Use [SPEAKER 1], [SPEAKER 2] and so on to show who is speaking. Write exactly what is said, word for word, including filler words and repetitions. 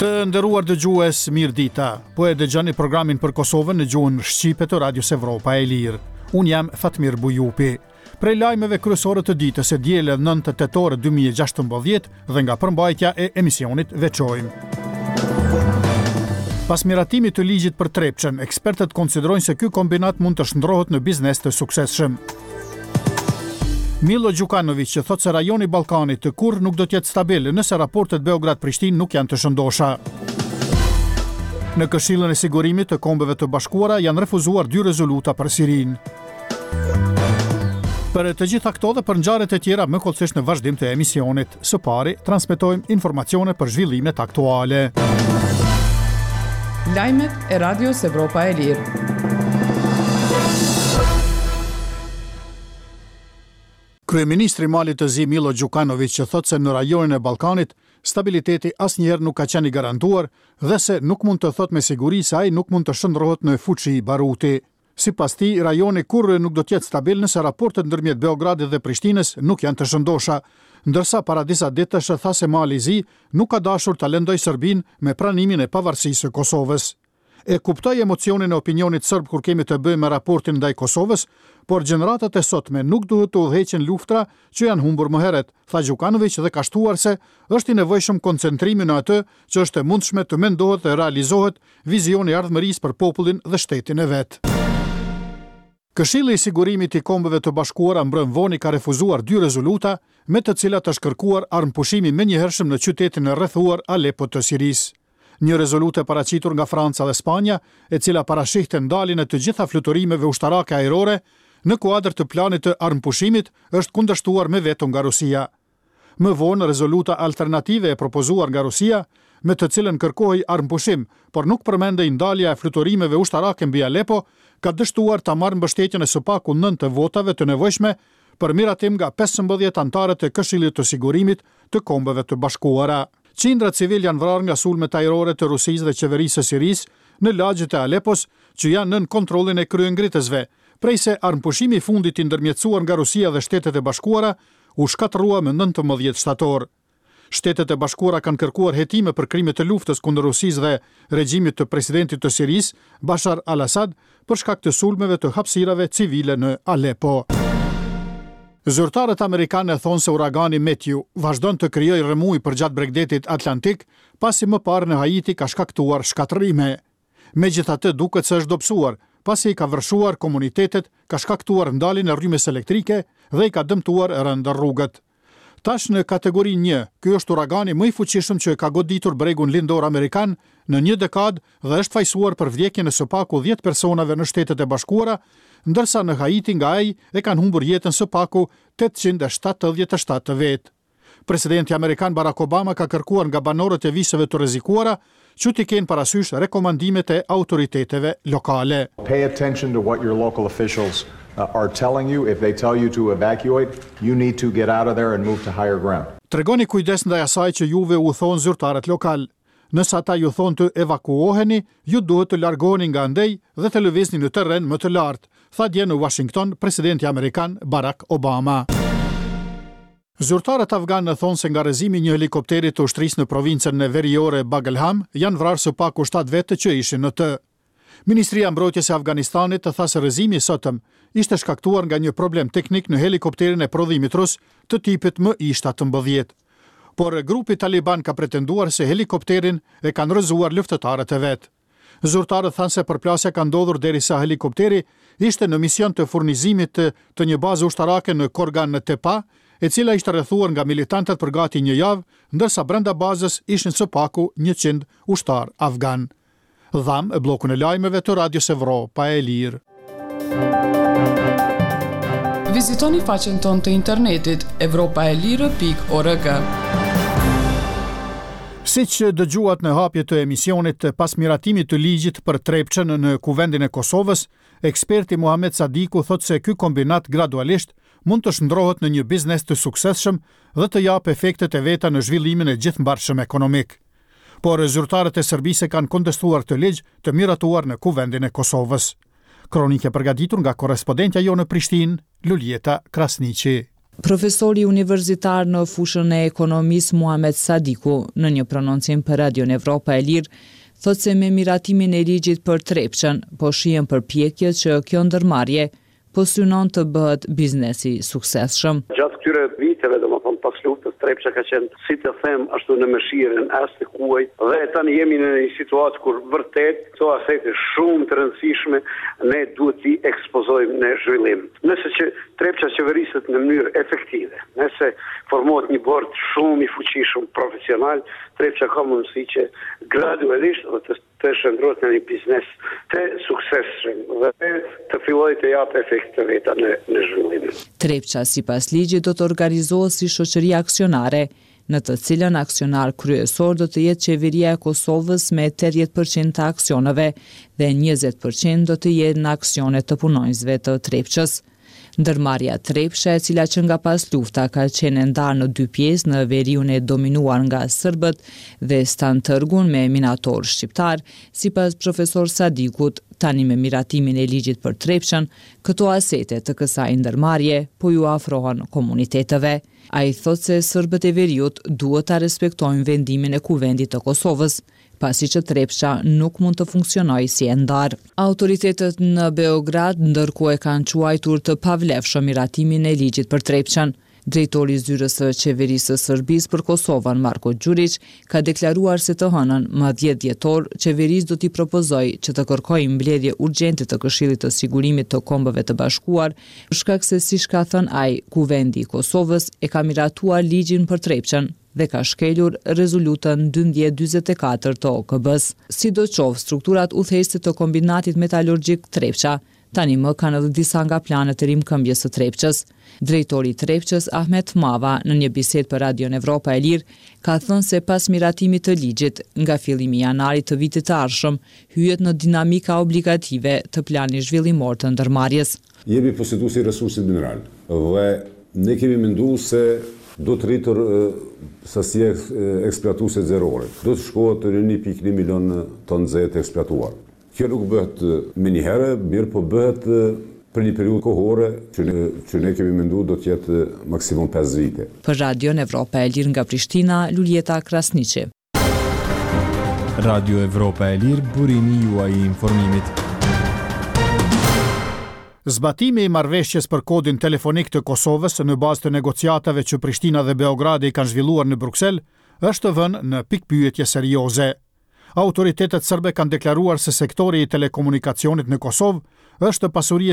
[SPEAKER 1] Të nderuar dëgjues, mirë dita. Po e dëgjoni programin për Kosovën në gjuhën shqipe të Radios Evropa e Lirë. Unë jam Fatmir Bujupi. Prej lajmeve kryesore të ditës së dielë nëntë tetor dy mijë e gjashtëmbëdhjetë dhe nga përmbajtja e emisionit veçojmë: Pas miratimit të ligjit për Trepçën, ekspertët konsiderojnë se ky kombinat mund të shndrohet në biznes të suksesshëm. Milo Gjukanovic që thotë se rajoni i Ballkanit të kurrë nuk do të jetë stabil nëse raportet Beograd-Prishtinë nuk janë të shëndosha. Në Këshillin e Sigurimit të Kombeve të Bashkuara janë refuzuar dy rezoluta për Sirinë. Për të gjitha këto dhe për ngjarjet e tjera më hollësisht në vazhdim të emisionit. Së pari, transmetojmë informacione për zhvillimet aktuale.
[SPEAKER 2] Lajmet e Radios Evropa e Lirë.
[SPEAKER 1] Kryeministri i Malit të Zi, Milo Gjukanovic, që thotë se në rajonin e Ballkanit stabiliteti asnjëherë nuk ka qenë i garantuar dhe se nuk mund të thotë me siguri se ai nuk mund të shndrohet në fuqi baruti. Sipas tij, rajoni kurrë nuk do të jetë stabil nëse raportet ndërmjet Beogradit dhe Prishtinës nuk janë të shëndosha, ndërsa para disa ditësh tha se Mali i Zi nuk ka dashur ta lëndojë Serbinë me pranimin e pavarësisë së Kosovës. "E kuptoj emocionin e opinionit serb kur kemi të bëjmë me raportin ndaj Kosovës, por gjeneratat e sotme nuk duhet të udhëheqin luftra që janë humbur më herët", tha Gjukanovic dhe ka shtuar se është i nevojshëm koncentrimi në atë që është e mundshme të mendohet dhe realizohet, vizioni i ardhmërisë për popullin dhe shtetin e vet. Këshilli i Sigurimit i Kombeve të Bashkuara mbrëm vonë ka refuzuar dy rezoluta me të cilat është kërkuar armëpushimi menjëhershëm në qytetin e rrethuar Aleppo të Sirisë. Një rezolutë e paraqitur nga Franca dhe Spanja, e cila parashihte ndaljen e të gjitha fluturimeve ushtarake ajrore në kuadër të planit të armëpushimit, është kundërshtuar me veto nga Rusia. Më vonë, rezoluta alternative e propozuar nga Rusia, me të cilën kërkohej armëpushim, por nuk përmendej ndalja e fluturimeve ushtarake mbi Aleppo, ka dështuar ta marrë mbështetjen e së paku nëntë votave të nevojshme për miratim nga pesëmbëdhjetë anëtarët e Këshillit të Sigurimit të Kombeve të Bashkuara. Qindra civil janë vrarë nga sulmet ajrore të Rusisë dhe qeverisë së Sirisë në lagjet e Alepos, që janë nën kontrollin e kryengritësve, prej se armëpushimi i fundit i ndërmjetësuar nga Rusia dhe Shtetet e Bashkuara u shkatërrua më nëntëmbëdhjetë shtator. Shtetet e Bashkuara kanë kërkuar hetime për krime të luftës kundër Rusisë dhe regjimit të presidentit të Sirisë, Bashar al-Assad, për shkak të sulmeve të hapësirave civile në Aleppo. Zyrtarët amerikanë thonë se uragani Matthew vazhdon të krijojë rrëmujë përgjatë bregdetit Atlantik, pasi më parë në Haiti ka shkaktuar shkatërrime. Megjithatë, duket se është dobësuar, pasi i ka vërshuar komunitetet, ka shkaktuar ndaljen e rrymës elektrike dhe i ka dëmtuar rëndë rrugët. Tash në kategorinë një, ky është uragani më i fuqishëm që ka goditur bregun lindor amerikan në një dekadë dhe është fajësuar për vdekjen e së paku dhjetë personave në Shtetet e Bashkuara, ndërsa në Haiti nga ai e kanë humbur jetën së paku tetëqind e shtatëdhjetë e shtatë vetë. Presidenti amerikan Barack Obama ka kërkuar nga banorët e viseve të rrezikuara që t'i kenë parasysh rekomandimet e autoriteteve lokale.
[SPEAKER 3] Pay attention to what your local officials uh, are telling you. If they tell you to evacuate, you need to get out of there and move to higher ground.
[SPEAKER 1] "Tregoni kujdes ndaj asaj që juve u thonë zyrtarët lokal. Nëse ata ju thonë të evakuoheni, ju duhet të largoheni nga andej dhe të lëvizni në terren më të lartë", tha dje në Washington presidenti amerikan Barack Obama. Zyrtarët afganë thonë se nga rrëzimi i një helikopteri të ushtrisë në provincën e veriore Bagalham janë vrarë së paku shtatë vetë që ishin në të. Ministria e Mbrojtjes e Afganistanit tha se rrëzimi i sotëm ishte shkaktuar nga një problem teknik në helikopterin e prodhimit rus të tipit M I shtatëmbëdhjetë. Por grupi Taliban ka pretenduar se helikopterin e kanë rrëzuar luftëtarët e vet. Zyrtarët thanë se përplasja ka ndodhur derisa helikopteri ishte në mision të furnizimit të, të një baze ushtarake në Korgan Tepa, e cila ishte rrethuar nga militantët për gati një javë, ndërsa brenda bazës ishin së paku njëqind ushtar afgan. Dhamë bllokun e lajmeve të Radios Evropa e Lirë.
[SPEAKER 2] Vizitoni faqen tonë të internetit evropaelire pikë org.
[SPEAKER 1] Si që dëgjuat në hapje të emisionit, pas miratimit të ligjit për Trepçën në Kuvendin e Kosovës, eksperti Muhamet Sadiku thotë se ky kombinat gradualisht mund të shndrohet në një biznes të suksesshëm dhe të japë efektet e veta në zhvillimin e gjithëmbarshëm ekonomik. Por zyrtarët e Serbisë kanë kontestuar këtë ligj të miratuar në Kuvendin e Kosovës. Kronikë e përgatitur nga korrespondentja jonë në Prishtinë, Luljeta Krasniqi.
[SPEAKER 4] Profesori universitar në fushën e ekonomisë Muhamet Sadiku, në një prononcim për Radion Evropa e Lirë, thotë se me miratimin e ligjit për Trepçën, po shihen përpjekje që kjo ndërmarrje po synon të bëhet biznes i suksesshëm.
[SPEAKER 5] Gjatë këtyre viteve, domethënë pas luftës, Trepça ka qenë, si të them, ashtu në mëshirën as të huajt dhe tani jemi në një situatë kur vërtet këto asete shumë të rëndësishme ne duhet t'i ekspozojmë në zhvillim. Nëse që Trepça qeveriset në mënyrë efektive, nëse formohet një bord shumë i fuqishëm profesional, Trepça ka mundësi që gradualisht dhe të të shndërrohet në një biznes të suksesshëm dhe të fillojë të japë efekt të veta në në zhvillim.
[SPEAKER 4] Trepça sipas ligjit do të organizohet si shoqëri aksionare, në të cilën aksionar kryesor do të jetë qeveria e Kosovës me tetëdhjetë përqind të aksioneve dhe njëzet përqind do të jenë në aksione të punonjësve të Trepçës. Ndërmarrja Trepça, e cila që nga pas lufta ka qenë e ndarë në dy pjesë, në veriun e dominuar nga serbët dhe Stan Tërgun me minator shqiptar, sipas profesor Sadikut, tani me miratimin e ligjit për Trepçën, këto asete të kësaj ndërmarrje po ju afrohen komuniteteve. Ai thotë se serbët e veriut duhet ta respektojnë vendimin e Kuvendit të Kosovës, pasi që Trepça nuk mund të funksionojë si e ndarë. Autoritetet në Beograd ndërkohë e kanë quajtur të pavlefshëm miratimin e ligjit për Trepçën. Drejtori i zyrës së qeverisë së Serbisë për Kosovën, Marko Gjuriq, ka deklaruar se të hënën, më dhjetë dhjetor, qeverisë do t'i propozojë që të kërkojë mbledhje urgjente të Këshillit të Sigurimit të Kombeve të Bashkuar, për shkak se, siç ka thënë ai, Kuvendi i Kosovës e ka miratuar ligjin për Trepçën dhe ka shkelur rezolutën dymbëdhjetë dyzet e katër të O K B-s. Sidoqoftë, strukturat udhëheqëse të kombinatit metalurgjik Trepça tani më kanë edhe disa nga planet e rimëkëmbjes së Trepçës. Drejtori i Trepçës, Ahmet Mava, në një bisedë për Radion Evropa e Lirë, ka thënë se pas miratimit të ligjit, nga fillimi i janarit të vitit të ardhshëm, hyhet në dinamika obligative të planit zhvillimor të ndërmarrjes.
[SPEAKER 6] Jemi poseduesi i resursit mineral dhe ne kemi menduar se do të rritur, e, sasia e, eksploatuese zerore. Do të shkohet në një pikë një milion ton zetë të eksploatuar. Kjo nuk bëhet më njëherë, mirë po bëhet për një periudhë kohore që ne, që ne kemi menduar do të jetë maksimum pesë vite.
[SPEAKER 4] Për Radion Evropa e Lirë nga Prishtina, Luljeta Krasniqi.
[SPEAKER 7] Radio Evropa e Lirë, burimi juaj i informimit.
[SPEAKER 1] Zbatimi i marrëveshjes për kodin telefonik të Kosovës në bazë të negociatave që Prishtina dhe Beogradi kanë zhvilluar në Bruksel është vënë në pikpyetje serioze. Autoritetet serbe kanë deklaruar se sektori i telekomunikacionit në Kosovë është pasuri